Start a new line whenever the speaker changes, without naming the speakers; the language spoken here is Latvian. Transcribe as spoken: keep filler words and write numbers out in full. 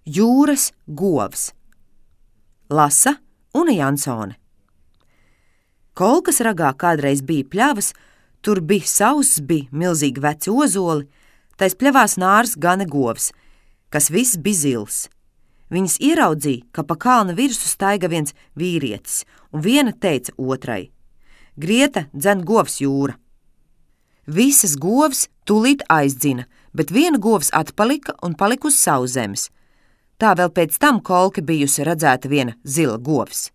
Jūras govs. Lasa Una Jansone. Kolkas ragā kādreiz bija pļavas, tur bija sauss, bija milzīgi veci ozoli, tais pļavās nārs gana govs, kas viss bija zils. Viņas ieraudzīja, ka pa kalna virsu staiga viens vīrietis, un viena teica otrai: Grieta dzen govs jūra. Visas govs tūlīt aizdzina, bet viena govs atpalika un palika uz savu zemes. Tā vēl pēc tam kolke bijusi redzēta viena zila govs.